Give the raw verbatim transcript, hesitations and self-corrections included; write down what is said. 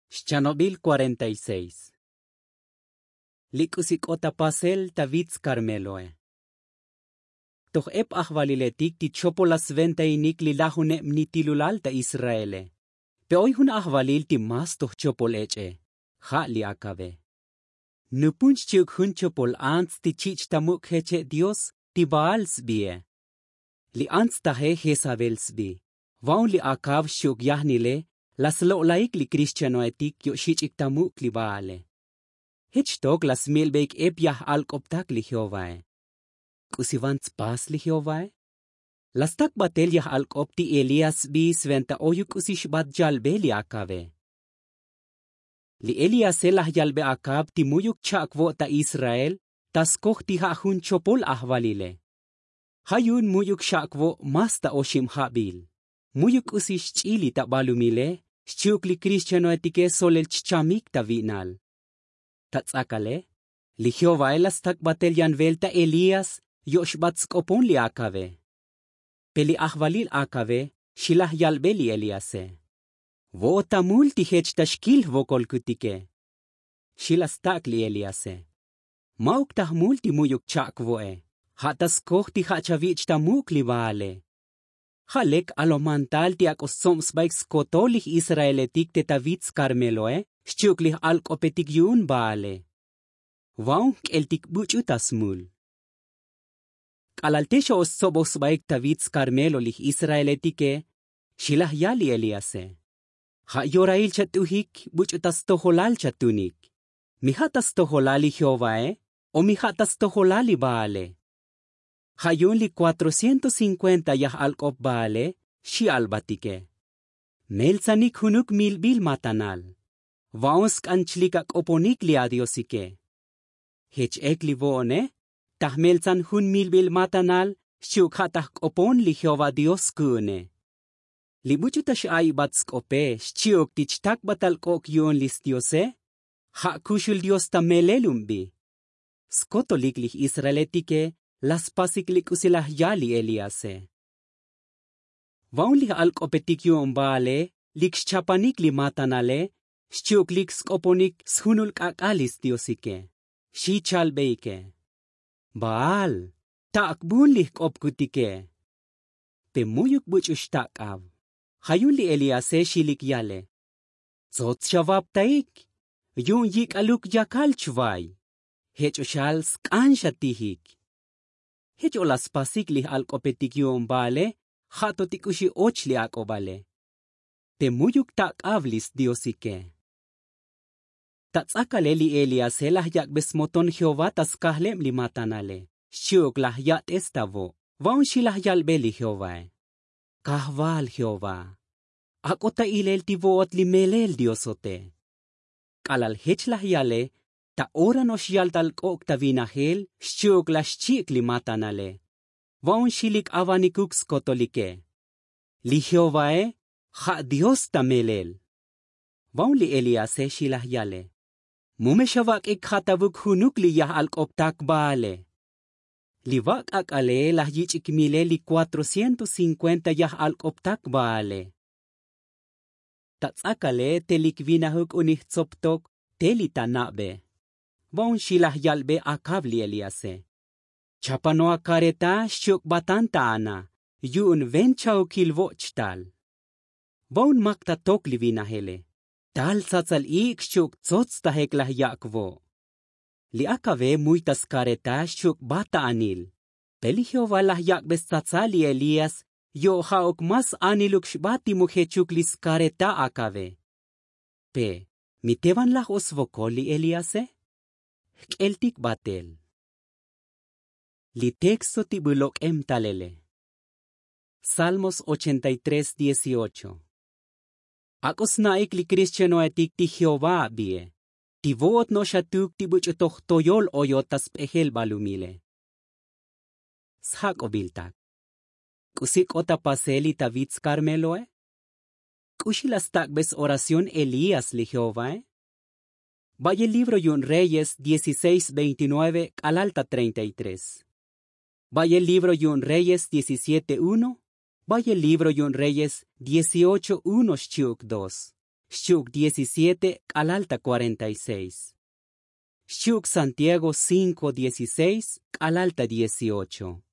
Xchanobil kuarenta y seis. Li k'usi k'ot ta pasel ta vitz karmeloe. Toj ep ajvaliletik ti chopol la sventainik li lajuneb nitilulal ta israele. Pe oy jun ajvalil ti mas toj chopol ech'e, ja' li akabe. Nupun xchi'uk jun chopol ants ti chich' ta muk' jeche' dios ti baal sbie. Li ants taje jezabel sbi. Va'un li akav xchi'uk yajnile la slo'laik li krixchanoetik yo'xich'ik ta muk' li baale. Jech xtok la smilbeik ep yaj alk'optak li jehovae. K'usi van tspas li jehovae? La stak batel yaj alk'op ti elías sbi sventa oyuk k'usi xbat yalbe li akabe. Li elíase laj yalbe akab ti mu'yuk cha'kvo' ta israel ta skoj ti ja' jun chopol ajvalile. Ja' yu'un mu'yuk xa'kvo' mas ta oxib jabil. Mu'yuk k'usi xch'il li ta balumile xchi'uk li krixchanoetike solel chchamik ta vi'nal. Ta ts'akale li jehovae la stak batel yan velta elías yo'xbat sk'opon li akabe. Pe li ajvalil akabe xi laj yalbe li elíase. Vo'ot ta mul ti jech ta xkil jvokolkutike. Xi la stak' li elíase. Ma'uk ta jmul ti mu'yuk cha'kvo'e. Ja' ta skoj ti ja' chavich' ta muk' li baale. Ja' lek alojmantal ti ak'o stsob sbaik skotol li j'israeletik te ta vitz karmeloe xchi'uk li j'alk'opetik yu'un baale. Va'un jk'eltik buch'u ta smul. K'alal te xa'ox stsoboj sbaik ta vitz karmelo li j'israeletike. Xi laj yal li elíase. Ja' yorail chat'ujik buch'u ta stojolal chatunik. Mi ja' ta stojolal li jehovae o mi ja' ta stojolal li baale? Ja' yu'un li kuatrocientos cinkuenta yaj alk'op baale xi albatike. Meltsanik junuk milbil matanal. Va'un sk'an chlik ak'oponik li adiosike. Jech ek li vo'one ta jmeltsan jun milbil matanal xchi'uk ja' ta jk'opon li jehová dios ku'une. Li buch'u ta x'aibat sk'ope xchi'uk ti chtakbatal k'ok' yu'un li sdiose. Ja' kuxul dios ta melel un bi. Skotolik li j'israeletike la spasik li k'usi laj yal li elíase. Va'un li j'alk'opetik yu'un baale lik xchapanik li matanale xchi'uk lik sk'oponik sjunul k'ak'al li sdiosike. Xi chalbeike. Baal, tak'bun li jk'opkutike. Pe mu'yuk buch'u xtak'ab. Ja' yu'un li elíase xi lik yale. Tsots xavaptaik. Yu'un yik'aluk yakal chvay. Jech o xal sk'an xatijik. Jech o la spasik li j'alk'opetik yu'un baale ja' to ti k'uxi och li ak'obale. Te mu'yuk tak'ab li sdiosike. Ta ts'akale li eliase laj yak'be smoton jehová ta skajleb li matanale xchi'uk laj ya'tes ta vo'. Va'un xi laj yalbe li jehovae. Kajval jehová, ak'o ta ilel ti vo'ot li melel diosote. K'alal jech laj yale ta ora no'ox yal tal k'ok' ta vinajel xchi'uk laj xchi'ik li matanale. Va'un xi lik avanikuk skotolike. Li jehovae ja' dios ta melel. Va'un li eliase xi laj yale. Mu me xavak'ik jatavuk junuk li yaj alk'optak baale. Li vak' ak'ale laj yich'ik mile li kuatrocientos cinkuenta yaj alk'optak baale. Ta ts'akale te lik vinajuk unij tsoptok te li ta na'be. Va'un xi laj yalbe akab li eliase. Chapano akareta xchi'uk batan ta ana yu'un ven chaukil vo' chtal. Va'un mak ta tok li vinajele. Tal tsatsal ik' xchi'uk tsots ta jek laj yak' vo'. Li akabe muy ta skareta xchi'uk bat ta anil. Pe li jehová laj yak'be stsatsal li elías yo' ja'uk mas aniluk xbat ti mu jechuk li skareta akabe. Pe mi te van laj o svokol li eliase? Jk'eltik batel. Li texto ti bu lok'em talele. Salmos ochenta y tres dieciocho. Ak'o sna'ik li krixchanoetik ti jehová abie ti vo'ot no'ox atuk ti buch'u toj toyol oyot ta sp'ejel balumile. Sjak'obiltak. K'usi k'ot ta pasel li ta vitz karmeloe? K'uxi la stak'be s-oración elías li jehovae? Bayel libro yu'un reyes dieciséis veintinueve k'alal ta treinta y tres. Bayel libro yu'un reyes diecisiete uno. Bayel libro yu'un reyes dieciocho uno xchi'uk dos. xchi'uk diecisiete k'alal ta kuarenta y seis. Xchi'uk santiago cinko dieciseis k'alal ta dieciocho.